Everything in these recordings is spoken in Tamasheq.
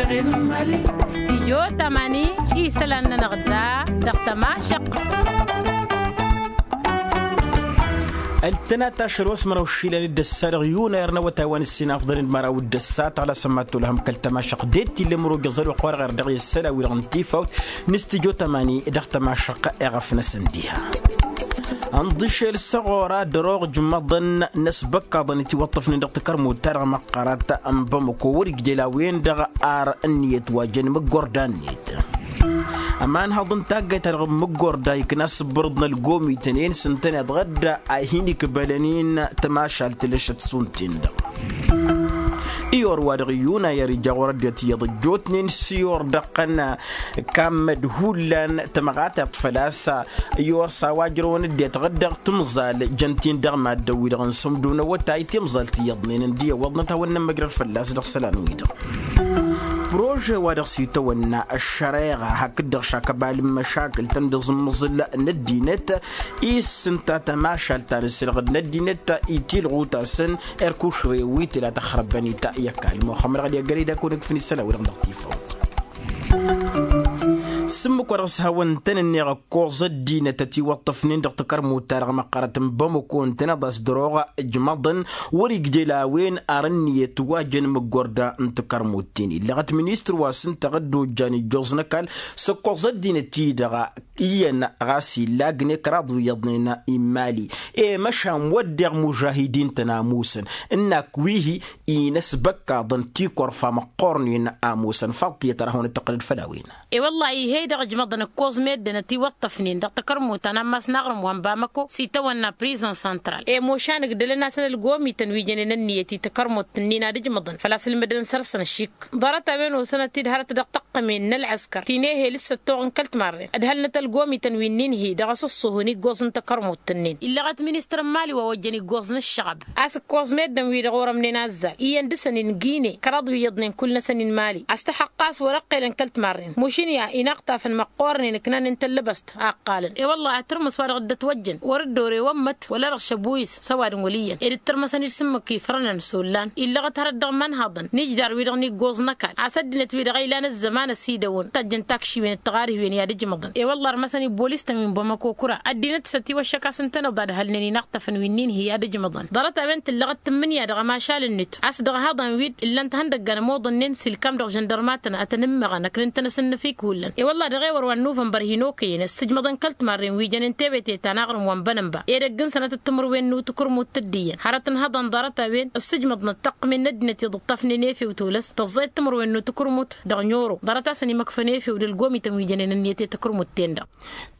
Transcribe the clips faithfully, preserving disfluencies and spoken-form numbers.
Stijyo tamani isălan-nănăɣ da dăɣ-tămašăq. Ăltănat ašăl wa s-măraw išilan d-ăssa dăɣ-yunayăr n-awătay wa n-ǝssin afḍăn d-măraw d-ăssa tăɣlasăm ma t-olhăm kăl-tămašăq d-e t-illa ămrojăẓ ălwăqq-wa-dăɣ irdeɣ i-ăssăla-wi-dăɣ n-tifawt n-stijyo tamani dăɣ-tămašăq. Iɣăf-năsăn diha ănḍǝšel s-ăɣora dăr-oɣ ǝjmăḍăn n-ăsbăkkaḍăn itiwăṭṭăfnen dăɣ-takărmut-ta-dăɣ măqqărăt n-bamăko wăr-ijjel a-wen-dăɣ ar ǝnniyăt wa jăn imǝggorda-net. Ămanhăḍ n-taggayt-ta-dăɣ n-imǝggorda ikna asǝbbărǝḍ n-ălgomităn i-inǝs ǝntăneḍ ɣǝdda a hin-ikbălăn-in tămašalt lăšăt šund-ten-dăɣ. Iyor wa dăɣ-iyyun a i-ărija ɣur-ăddinăt iyyăḍ ăjjootnen s-iyor dăɣ-tăn kammăd hullan tămăɣatert făl-a-s iyor s-a-wa ǝjrăwăn ăddinăt ɣǝddăɣ timẓal jăn-t-in dăɣ-maddǝn-wi-dăɣ n-sǝmdu n-awătay timẓalt iyyăḍnen ǝndi ăwwăḍnăt a hawăn-nămmăjrăd fălla-s dăɣ-isălan-wi-dăɣ. Prože wa dăɣ-s itawănna ăššăreɣa hakd-dăɣ šakăbal n-măšakǝl tăn-dd-iẓǝmmǝẓǝl n-ăddinăt i-s ǝnta tămašalt ta n-ǝssǝlɣǝd n-ăddinăt itilɣu-tasăn erkušre wi tǝla tăxrăbbăn-i ta i-ăkall muxămmăd ɣad i-ăggălăy d-akăwăn-ǝkfǝn isălan-wi-dăɣ dăɣ-tifawt. S-ǝmmǝk wa dăɣ-s hawăn-tăn-ǝnneɣ ǝkkoẓ ăddinăt ătiwăṭṭăfnen dăɣ-takărmut-ta-dăɣ măqqărăt n-bamăko ǝntăneḍ a-s dăr-oɣ ǝjmăḍăn wăr-ijjel a-wen ar ǝnniyăt wa jăn imǝggorda n-takărmut-ten illăɣăt ministăr wa s-ǝnta ɣǝdda ojjan ijjoẓ n-ăkall s-ǝkkoẓ ăddinăt-i-dăɣ iyyăn ɣas illa agǝne kăraḍ wi iyyăḍnen immali. E măšan wădden mužahidin-tăn amusăn ǝnnak wi-hi inăsbăkkaḍăn tikărfa măqqornen amusăn faḍt tiyyăt ara hawăn-dd-tăqqǝlăd făll-a-wen. E-wăllah ih'-e-dăɣ ǝjmăḍăn ǝkkoẓ meddǝn ătiwăṭṭăfnen dăɣ-takărmut ta n-ammas n-aɣrǝm wa n-bamăko s-itawănna prizăn santral i-mošan ǝgdălăn-asăn ălgomităn wi jănen ănniyăt i-takărmut-ǝnnin ad-ǝjmăḍăn făl-a-s ǝlmǝdăn săr-săn ăššik. Ḍarăt a-wen osănăt-dd hărăt dăɣ-tăqqămen n-ălɣăskăr ti n-ehel s-săttoɣ n-kăl-timarren ădhălnăt ălgomităn wi n-inhǝy dăɣ-asǝṣṣuhǝn iggoẓ n-takărmut-ǝnnin illăɣăt ministăr n-mali wa ojjăn iggoẓ n-ǝššăɣăb a-s ǝkkoẓ meddǝn-wi-dăɣ orămnen azzal iyyăn dăɣ-săn-in gine kăraḍ wi iyyăḍnen kull-năsăn inmali a-s tăxăqqas wăr-ăqqelăn kăl-timarren mušǝnya inăɣtafăn măqqoornen ǝknan n-tăllăbăst a ǝqqalăn i-wălla ad-tǝrmǝs wa dăɣ-dd-ătwăjjăn wăr-dd-ore wămmăt wăla-dăɣ šăbuyǝs s-ăwadǝm wăl' iyyăn ed ǝttărmăsăn-dd s-ǝmmǝk ifrănăn s-ollan illăɣăt hărăt dăɣ-imanhaḍăn n-ijdar-wi-dăɣ n-iggoẓ n-ăkall a-s ăddinăt-wi-dăɣ a ilan ăzzăman ăsidăwăn tajjăn takšiwen d-tiɣarhiwen i-ad-ǝjmăḍăn i-wălla ărmăsăn ibolis-tăn wi n-bamăko kăra ăddinăt s-ătiwăššăk a-s ǝntăneḍ ad-hălnen inăɣtăfăn wi n-inhǝy ad-ǝjmăḍăn ḍarăt-a-wen tǝllăɣăt tǝmmǝnǝya dăɣ-ămašal-net a-s dăɣ-ihaḍan-wi ǝllan-t ihăndăggan ămoḍănnen s-ilkam dăɣ-žăndărmatăn ad-tăn-ǝmmăɣăn ăknǝntăn asǝnnǝf ikullan i-wălla dăɣ-ewăr wa n-nuvănbăr hin-okăyăn ăssǝjmăḍăn kăl-timarren wi jănen tebete ta n-aɣrǝm wa n-bănănba edăgg n-sănatăt timǝrwen n-utukǝrmut tǝddǝyyăn hărăt n-ihăḍan ḍarăt-a-wen ǝssǝjmăḍnăt taqqǝmen n-ăddinăt i-ḍǝṭṭăfnen efew tolăs tăẓẓayăt timǝrwen n-utukǝrmut dăɣ-noro ḍarăt-asăn imăkfăn efew d-ălgomităn wi jănen ǝnniyăt i-takǝrmut-ten-dăɣ.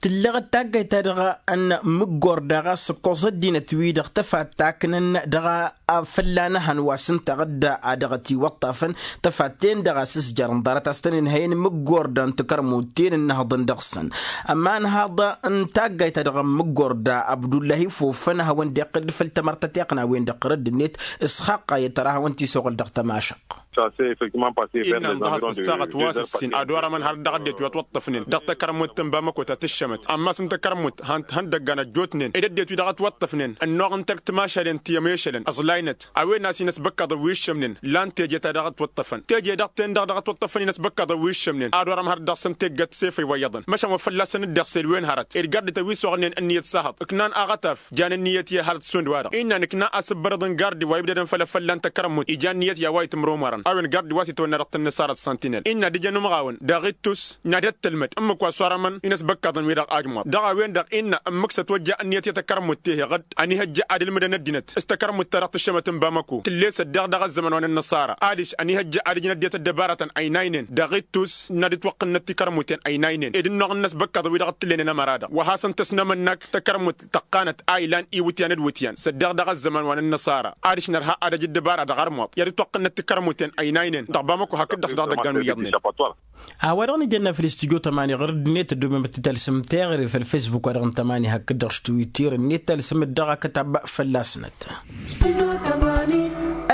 Tǝllăɣăt taggayt-ta-dăɣ n-imǝggor daɣ a-s ǝkkoẓ ăddinăt-wi-dăɣ tăfat taknăn dăɣ-a fălla-năhăn wa s-ǝnta ɣǝdda a dăɣ-ătiwăṭṭafăn tăfat-ten-dăɣ a-s ǝzjarăn ḍarăt a-s tăn-ǝnhăyăn imǝggor dăɣ-n takărmut-ten ǝnnăhăḍăn dăɣ-săn. Ămanhaḍ n-taggayt-ta-dăɣ n-imǝggor da abdullahi fofăn a hawăn-dd-iqqǝl d-făll-tamărtăt iqqǝn a-wen-dăɣ tărădd-net s-xaqqayăt tăra a hawăn-t-isăɣǝl dăɣ-tămašăq. Innă ǝnḍăhăt s-ăssaɣăt wa s-ǝssin ad-orămăn har dăɣ-ăddinăt wi ătwăṭṭăfnen dăɣ-takărmut n-bamăko ta tǝššămăt ammas n-takărmut hăn-dd-ăggan ăjjootnen ed ăddinăt wi dăɣ-ătwăṭṭăfnen ănnuɣ n-tăgg timašalen ti ămešălăn ăẓlaynăt a-wen a-s inăsbăkkaḍăn wi ǝššămnen lan teje ta dăɣ-ătwăṭṭăfăn teje-dăɣ-ten-dăɣ dăɣ-ătwăṭṭăfăn inăsbăkkaḍăn wi ǝššămnen ad-orăm hărăt dăɣ-săn teggăt sefăy wa iyyăḍăn măšan wa fălla-săn dd-iɣsel wen hărăt ed gardităn wi s-oɣnen ǝnniyăt s-ahăḍ ǝknan aɣătaf jan ǝnniyăt i-hărăt šund-wa-dăɣ innă nǝkna asǝbbărăḍ n-gardi wa ibdădăn făll-efăllan takărămmut ijan niyyăt i-a-wa itǝmrumărăn a-wen gardi wa s-itwănna dăɣ-tǝnnǝsarăt santinel innă ad-ǝjăn umɣawăn daɣ ittus n-ad-ăttălmăd ǝmmǝk wa s-orămăn inăsbăkkaḍăn-wi-dăɣ ajmuḍ dăɣ-a-wen-dăɣ innă ǝmmǝk s-ătwăjja ǝnniyăt i-takărămmut tehe ɣǝd ănihăjja ad-ǝlmǝdăn ăddinăt s-takărămmut-ta-dăɣ tǝššămăt n-bamăko tǝlles-ăddeɣ dăɣ-ăzzăman wa n-ănnăṣara adiš ănihăjja ad-ǝjǝn ăddinăt ăddăbarătăn ăynaynen daɣ ittus n-ad-ǝtwăqqǝnnăt tikărmuten ăynaynen ed ǝnnuɣ n-inăsbăkkaḍăn-wi-dăɣ t-tǝllenen ămăra-dăɣ wa hasăn-tăsnăm ănnak takărmut tăqqanăt a ilan iwǝtyan d-iwǝtyan s-ăddeɣ dăɣ-ăzzăman wa n-ănnăṣara adiš nărha ad-ăj ăddăbara dăɣ-armuḍ i-ad-ǝtwăqqǝnnăt tikărmuten ăynaynen dăɣ-bamăko hakd-dăɣ-s dăɣ-idăggan wi iyyăḍnen. A-wa-dăɣ nǝjănna făll-istudyo tămani ɣur-dd-net ăddoobem ad-t-talsăm teɣăre făll-fesbuk-wa-dăɣ n-tămani hakd-dăɣ s-twitter-net talsăm-dd dăɣ-akătab fălla-snăt.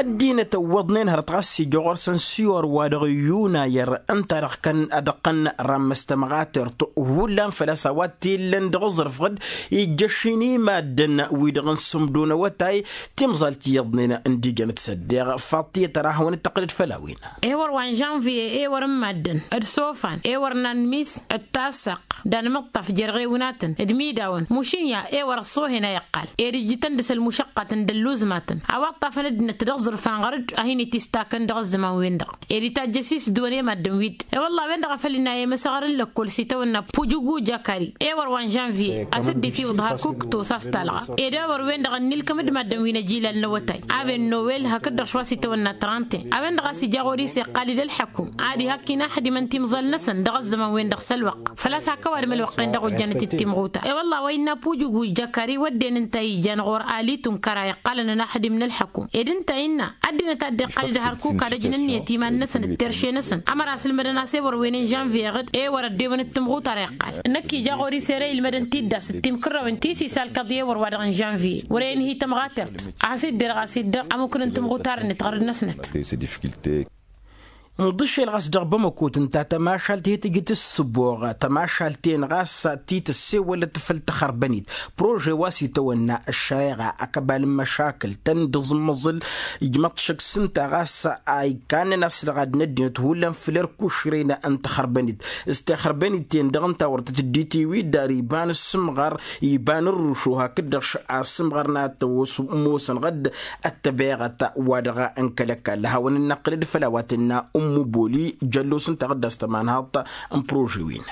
Ăddinăt ăwwăḍnen hărăt ɣas ija ɣur-săn siwăr wa dăɣ-iyyunayăr ǝnta-dăɣ kăn ad-ăqqăn rammăs tămɣatert hullan făl-a-s a-wa t-illăn dăɣ-aẓrǝf ɣǝd ijjăšin i-maddǝn wi-dăɣ n-sǝmdun awătay. Timẓalt iyyăḍnen n-dijănăt s-ăddeɣ faḍt tiyyăt ara hawăn-dd-tăqqǝlăd făll-a-wen. Ewăr wa n-žănviye ewăr n-maddǝn d-sofan ewăr n-anmis d-tassaɣt d-anmǝṭṭaf jer-ɣewnatăn d-imidawăn mušǝn ya ewăr ăṣṣohen a iqqal ed ijjǝtăn dăɣ-s ălmušăqqat n-dălluzmatăn a-wa ṭṭafăn ăddinăt dăɣ-aẓrǝf anɣăr-dd a hin-itistakăn dăɣ-ăzzăman-wen-dăɣ ed itajjăs isdǝwăn i-maddǝn-wi-dd. E-wălla-wen-dăɣ a făl inayem asăɣăr n-lăkkol s-itawănna pujugu jakari ewăr wa n-žănviye a-s dd-itiwǝḍ hakuk tosa s-talɣa ed ewăr-wen-dăɣ ănnilkăm d-maddǝn wi n-ăjilal n-awătay a-wen nowel hakd-dăɣ šwa s-itawănna trănten a-wen-dăɣ a-s ija ɣur-i s-iqqal-dd ălḥăkum ad-ihăkk inaxdimăn timẓal-năsăn dăɣ-ăzzăman-wen-dăɣ s-ălwăqq făl-a-s hak ăwadǝm ălwăqq-en dăɣ-ojjanăt d-timɣuta. E-wălla wa innă pujugu jakari wădden ǝnta a ijan ɣur-alitun kăra iqqalăn ănaxdim n-ălḥăkum ed ǝnta a innă ăddinăt a dd-iqqal-dd hărkuk ad-ăjn ǝnniyăt iman-năsăn d-terše-năsăn ămăra s-ǝlmădăn a-s ewăr wen n-žănviye ɣǝd ewăr ăddewăn d-timɣutar iqqal. Năkk ija ɣur-i s-ere ilmădăn tiddas d-timkărrăwen ti s-isalkăḍ i-ewăr wa dăɣ-n žănviye wăr-e inhi tămɣatert a has-dd-derăɣ a-s iddăɣ ămukǝn n-timɣutar-net ɣărăt-năsnăt. Nḍǝšel ɣas dăɣ-bamăkot ǝnta tămašalt he-tǝjǝt ǝssǝboɣ tămašalt-en ɣas ti tăssewălăt făll-taxărbănit prože wa s-itawănna ăššăreɣa akăbal n-măšakǝl tăn-dd-ǝẓmăẓǝl. Ijmăḍ šăkk s-ǝnta ɣas a ikannăn a-s dăɣ-ad-năddinăt hullan făll-erk ušren n-taxărbănit s-taxărbănit-en-dăɣ ǝnta wăr tăt-dd-itiwǝy d-ar iba n-ǝssǝmɣăr iba n-ǝrrušo hakd-dăɣ š-asǝmɣăr n-ad-tăwwăs ămoosăn ɣǝd ăttăbeɣăt wa dăɣ-n kăl-ăkall hawăn-dd-năqqǝlăd făll-a-wa tǝnna ǝmmuboli jăllos ǝnta ɣǝd a-s tămanhaḍt n-prože-win.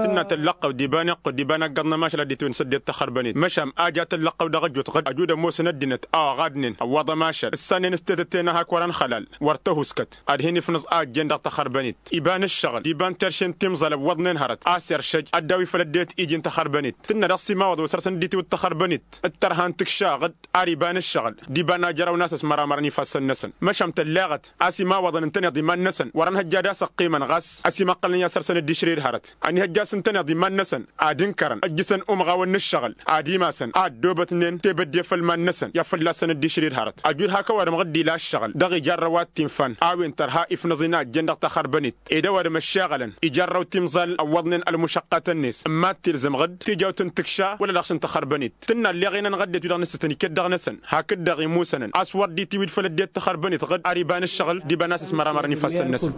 Tǝnna tăllăqqăw d-iba n-iqqud d-iba n-ăggăḍ n-ămašal ad-dd-itwǝn s-ăddinăt taxărbănit măšan a ja tăllăqqăw dăɣ-ăjut ɣǝd ăjud ămoosăn ăddinăt a oɣadnen ăwwaḍ ămašal ǝssannen s-tetăt tenăhak wăr-ănxălal wăr tăhuskăt ad-hin-ifnǝẓ a ǝjjen dăɣ-taxărbănit iba n-ǝššăɣǝl d-iba n-terše n-timẓal ăwwăḍnen hărăt a-s iršăj ad-dd-awi făll-ăddinăt iji n-taxărbănit. Tǝnna dăɣ-s imawăḍ wa săr-săn dd-itiwǝḍ taxărbănit d-tărha n-tǝkša ɣǝd ar iba n-ǝššăɣǝl d-iba n-ajăraw n-asăs măramărăn ifassăn-năsăn măšan tălleɣăt a-s imawăḍăn ǝntăneḍ iman-năsăn wăr-ănhăjja ad-asăqqimăn ɣas ăsimăqqălnen i-ad-săr-săn dd-išrid hărăt. Ănihăjja a-s ǝntăneḍ iman-năsăn ad-ǝnkărăn ǝjjǝsăn umɣawăn n-ǝššăɣǝl ad-imasăn a ăddoobătnen tebădde făll-iman-năsăn i-ad-fălla-săn dd-išrid hărăt ăjud hak ăwadǝm ɣǝd-ila ǝššăɣǝl dăɣ-ijarrăw ad-t-infan a-wen tărha ifnăẓ-in a ǝjjen dăɣ-taxărbănit ed ăwadǝm ăššeɣălăn ijarrăw timẓal ăwwăḍnen ălmušăqqatăn-net n-mad tilzǝm ɣǝd tijawt n-tǝkša wăla dăɣ-s n-taxărbănit. Tǝnna ălleɣ-i-nănɣ ăddinăt wi-dăɣ nǝssǝtăn iket dăɣ-năsăn hakd-dăɣ imusănăn a-s wăr dd-itiwǝd făll-ăddinăt taxărbănit ɣǝd ar iba n-ǝššăɣǝl d-iba n-asǝs măramărăn ifassăn-năsăn.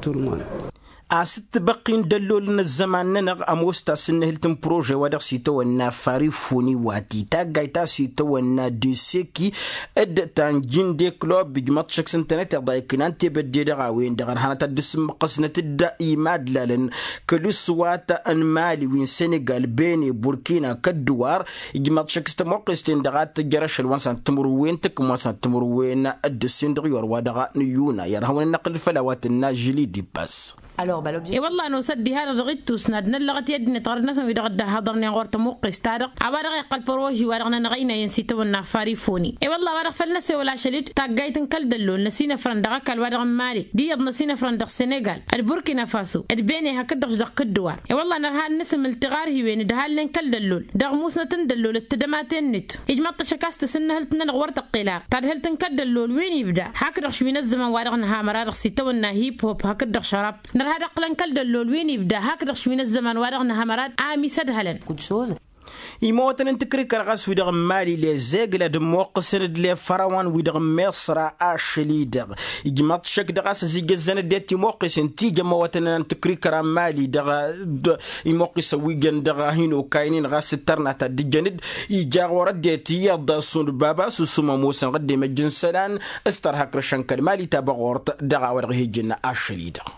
A-s dd-tibăqqin d-ăllolăn ăzzăman-nănăɣ ămoos tasǝnnǝhǝlt n-prože wa dăɣ-s itawănna farifoni wa ti taggayt a-s itawănna deseki d-tanjinde klub ijmăḍ šăkk s-ǝntănăteḍ a iknan tebădde dăɣ-a-wen-dăɣ ărhanăt ad-dd-sǝmmăqqăsnăt-dd imadlalăn kăl-iswat n-mali wi n-senegal bene burkina kădduwar. Ijmăḍ šăkk s-tămoqqes-ten-dăɣ ad-tǝjjăr ašăl wa n-săn timǝrwen tǝkkǝm wa n-săn timǝrwen d-ǝssin dăɣ-iwăr wa dăɣ-nǝyyuna i-ad-hăwăn-dd-năqqǝl făll-a-wa tǝnna žili d-ibbas. E-wălla-hi ănosăt diha-dăɣ dăɣ-ittus n-ad-năllăɣăt i-ăddinăt ɣărăt-năsăn wi-dăɣ dd-ăhhăḍărnen ɣur-tămuqqest-ta-dăɣ a-wa dăɣ-iqqăl păroži wa dăɣ-nănɣăynăyăn s-itawănna farifoni. E-wălla-hi a-wa dăɣ-făl năsewăl ašăl-dd taggayt n-kăl-dăllol năsinăfrăn dăɣ-ăkall wa dăɣ-n mali d-iyyăḍ năsinăfrăn dăɣ-senegal d-burkina faso d-bene hakd-dăɣ dăɣ-kǝddǝwar. E-wălla-hi nărha ad-nǝsǝm ǝltǝɣar hiwen d-hallen kăl-dăllol dăɣ-musnăt n-dăllol d-tadămaten-net. Ijmăḍ-t ašăk a-s tasǝnnăhǝlt-nănăɣ wăr tăqqel ar tadhǝlt n-kăl-dăllol wi n-ibda hakd-dăɣ šwi n-ăzzăman wa dăɣ-nǝha măra dăɣ-s itawănna hip-hop hakd-dăɣ šărab. Nărha d-ăqqǝlăn kăl-dăllol wi n-ibda hakd-dăɣ šwi n-ăzzăman wa dăɣ-nǝha măra d-amis ădhălăn. Imăwătăn n-tǝkrikăr ɣas wi-dăɣ n-mali lezegla d-ămmoqqǝsăn d-lefărawăn wi-dăɣ n-miṣra ašăl-i-dăɣ. Ijmăḍ šăkk dăɣ-a-s ăzijăzzăn ăddinăt imoqqisăn tijă ămăwătăn n-tǝkrikăra n-mali dăɣ-imoqqisăn wi jăn dăɣ-hin-okaynen ɣas ǝttărna ta dd-ǝjjăn-dd ija ɣur-ăddinăt iyyăḍ d-asund baba s-usum ămoosăn ɣǝddem ăjj n-isălan s-tărha akrăšăn kăl-mali ta băɣort dăɣ-a-wa dăɣ-hi-ǝjǝnna ašăl-i-dăɣ.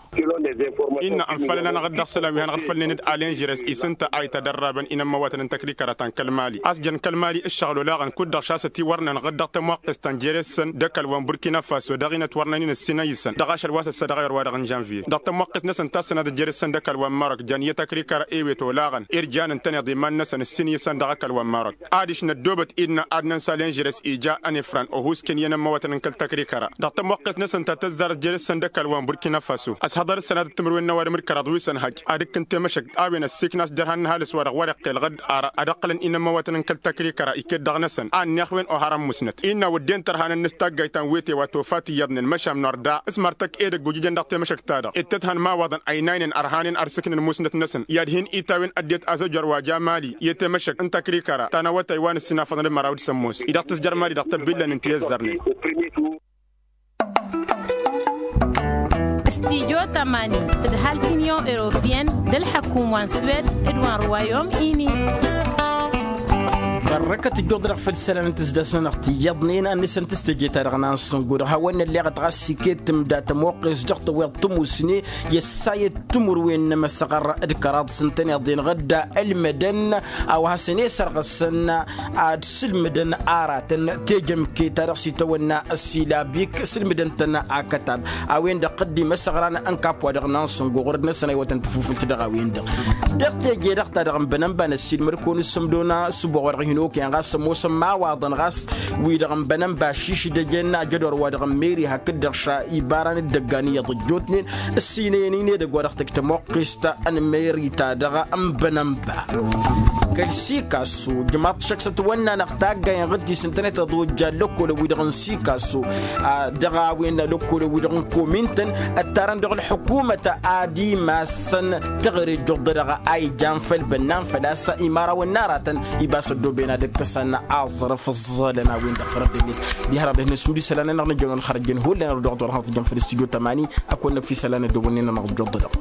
Innă ănfalăn-anăɣ-dd dăɣ-isălan wi hanăɣ-dd-fălnen d-alenžeres-i s-ǝnta a itadărrabăn inămmăwătăn n-tăkrikăra ta n-kăl-mali a-s jăn kăl-mali ǝššăɣǝl olaɣăn kud-dăɣ šasăt-i wărnăn ɣǝd dăɣ-tămwăqqest ta n-jeres-săn d-ăkall wa n-burkina faso dăɣ-inăt wărnăn-in ǝssin a isăn dăɣ-ašăl wa s-ăssa dăɣ-ayăr wa dăɣ-n žănviye dăɣ-tămwăqqest-năsăn ta s-sănadăt jeres-săn d-ăkall wa n-marok jăn i-tăkrikăra ewet olaɣăn. Irjanăn-tăn iḍiman-năsăn ǝssin isăn dăɣ-ăkall wa n-marok adiš năddoobăt innă ad-nănsa lenžeres ija ănefran ohusken i-inămmăwătăn n-kăl-tăkrikăra dăɣ-tămwăqqest-năsăn ta tăzzarăt jeres-săn d-ăkall wa n-burkina faso ăshăḍăr-săn. Timǝrwen n-ăwadǝm d-kăraḍ wi s-ănhăj ad-ǝkkǝn temăšăkt a-wen ăssiiknas d-ărhan n-ăhalǝs wa-dăɣ wăr-iqqel ɣǝd ara ad-ăqqălăn inămmăwătăn n-kăl-takri kăra iket dăɣ-năsăn a ǝnneɣ-wen oharăn musnăt innă wădden tărhanăn-năs taggayt ta n-wete wa tofa tiyyăḍnen măšan n-orda s-martăk edăgg ojǝjăn dăɣ-temăšăkt-ta-dăɣ ǝttăt han imawaḍăn ăynaynen ărhanen ărsǝknen musnăt-năsăn i-ad-hin-itawin ăddinăt azăjor wa jamali i-temăšăkt n-takri kăra ta n-awătay wa n-ǝssinafăḍăn d-măraw d-sămmos-i dăɣ-tǝzjăr mali dăɣ-tăbbillăn n-tiyyăzzărnen. Studyo tămani d-ăhalk n-inyon europiyăn d-ălḥăkum wa n-swed d-wa n-ruwayom-ini. Bărrăkăt ǝjjuḍ-dăɣ făll-isălan n-tǝzdas-nănăɣ tiyyăḍnen ad-nǝsăn tǝstăje-ta-dăɣ n-ansǝngo dăɣ-hawăn-nălleɣăt ɣas iket tǝmda tămoqqes dăɣ-tăweḍ tămusne i-ăssayăt timǝrwen n-emăsăɣăr d-kăraḍ s-ǝntăneḍ-en ɣǝdda ǝlmădăn a-wa hasăn-e-sărɣǝsăn ad-sǝlmǝdăn aratăn tejămke ta dăɣ-s itawănna ăssilabik sǝlmǝdăn-tăn akătab a-wen-dăɣ dd-imăsăɣran n-kap wa dăɣ-nansǝngo ɣur-dd-năsăn a iwătăn tafufǝlt dăɣ-a-wen-dăɣ. Dăɣ-teje-dăɣ ta dăɣ-n bănănba n-ăssiilmăd-kăwăn s-ămdon s-ăboɣ wa dăɣ-hin-okăyăn ɣas ămoosăn imawaḍăn ɣas wi-dăɣ n-bănănba šišdăjăn ajădor wa dăɣ-n meri hakd-dăɣ ša ibaran d-idăggan iyyăḍ ăjjootnen ǝssinăyăn-in edăgg wa dăɣ-tăj tămoqqest n-meri-ta-dăɣ n-bănănba. Kăl-sikasso ǝjmaḍ-t šăkk s-ătwănna-năɣ taggayen ɣǝddis ǝntănet ăḍojja ăllăkkolăn-wi-dăɣ n-sikasso dăɣ-a-wen ăllăkkolăn-wi-dăɣ n-komin-tăn ăttarăn dăɣ-ălḥukumăt ad-imassăn teɣăre ǝjjuḍ-dăɣ a ijan făll-bănnan făl-a-s imărawăn n-aratăn ibas ăddooben ad-ǝkkăsăn aẓrǝf ǝẓẓălăn a-wen-dăɣ fărăt-net. Diha-dăɣ dăh-net sǝmdu isălan-nănăɣ n-ǝjjăn wăla xărăjjăn hullan ărduɣăt wăla xărăt ǝjjăn făll-stujo tămani. Ăkk wănnăn fi isălan ăddoobănnen-nănăɣ ǝjjuḍ-dăɣ.